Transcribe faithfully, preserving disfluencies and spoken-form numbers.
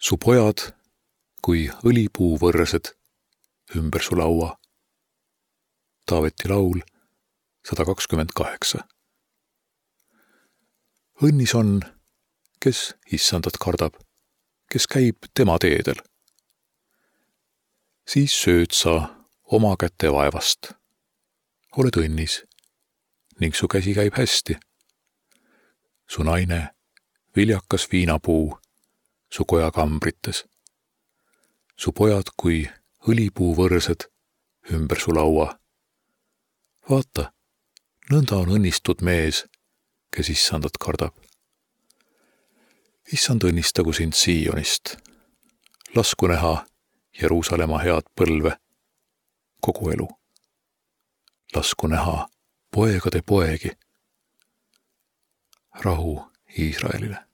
Su pojad kui õlipuuvõrsed ümber su laua. Taaveti laul sada kakskümmend kaheksa. Õnnis on, kes issandat kardab, kes käib tema teedel. Siis sööd sa oma käte vaevast. Oled õnnis ning su käsi käib hästi. Su naine, viljakas viinapuu, su koja kambrites. Su pojad kui õlipuuvõrsed ümber su laua. Vaata, nõnda on õnnistud mees, kes issandat kardab. Issand õnnistagu sind Siionist. Lasku näha Jeruusalemma head põlve kogu elu. Lasku näha poegade poegi. Rahu Iisraelile.